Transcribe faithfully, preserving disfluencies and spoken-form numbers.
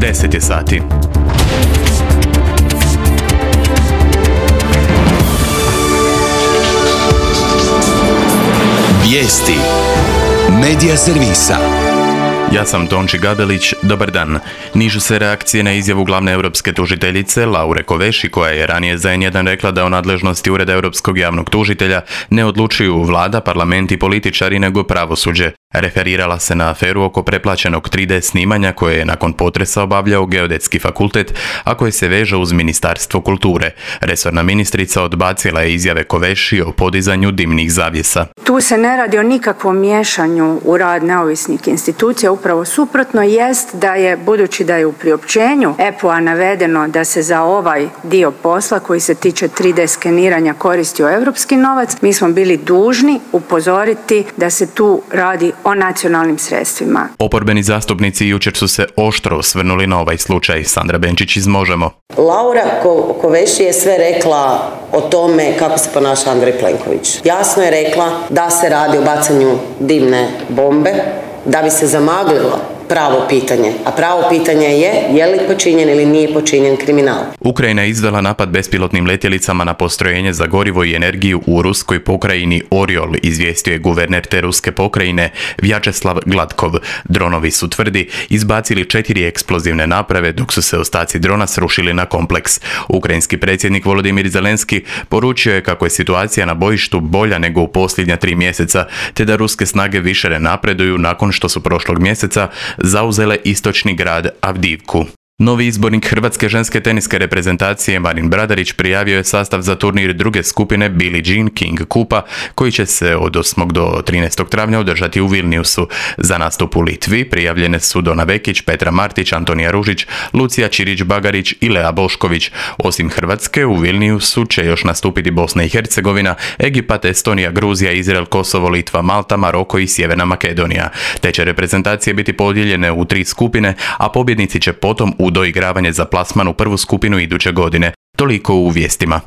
deset je sati. Vijesti Medija servisa. Ja sam Tonči Gabelić, dobar dan. Nižu se reakcije na izjavu glavne europske tužiteljice Laure Kovesi, koja je ranije za en jedan rekla da o nadležnosti Ureda europskog javnog tužitelja ne odlučuju vlada, parlament i političari, nego pravosuđe. Referirala se na aferu oko preplaćenog tri de snimanja koje je nakon potresa obavljao Geodetski fakultet, a koje se veže uz Ministarstvo kulture. Resorna ministrica odbacila je izjave Kovesi o podizanju dimnih zavjesa. Tu se ne radi o nikakvom miješanju u rad neovisnih institucija, upravo suprotno jest da je, budući da je u priopćenju E P O-a navedeno da se za ovaj dio posla koji se tiče tri de skeniranja koristio europski novac, mi smo bili dužni upozoriti da se tu radi o nacionalnim sredstvima. Oporbeni zastupnici jučer su se oštro osvrnuli na ovaj slučaj. Sandra Benčić iz Možemo. Laura Kovesi je sve rekla o tome kako se ponaša Andrej Plenković. Jasno je rekla da se radi o bacanju dimne bombe, da bi se zamaglilo pravo pitanje. A pravo pitanje je je li počinjen ili nije počinjen kriminal. Ukrajina je izvela napad bespilotnim letjelicama na postrojenje za gorivo i energiju u ruskoj pokrajini Oriol, izvijestio je guverner te ruske pokrajine Vjačeslav Gladkov. Dronovi su, tvrdi, izbacili četiri eksplozivne naprave dok su se ostaci drona srušili na kompleks. Ukrajinski predsjednik Volodimir Zelenski poručio je kako je situacija na bojištu bolja nego u posljednja tri mjeseca, te da ruske snage više ne napreduju nakon što su prošlog mjeseca zauzele istočni grad Avdivku. Novi izbornik hrvatske ženske teniske reprezentacije Marin Bradarić prijavio je sastav za turnir druge skupine Billie Jean King Kupa, koji će se od osmog do trinaestog travnja održati u Vilniusu. Za nastup u Litvi prijavljene su Dona Vekić, Petra Martić, Antonija Ružić, Lucija Čirić-Bagarić i Lea Bošković. Osim Hrvatske, u Vilniusu će još nastupiti Bosna i Hercegovina, Egipat, Estonija, Gruzija, Izrael, Kosovo, Litva, Malta, Maroko i Sjeverna Makedonija. Te će reprezentacije biti podijeljene u tri skupine, a pobjednici će potom u doigravanje za plasman u prvu skupinu iduće godine. Toliko u vijestima.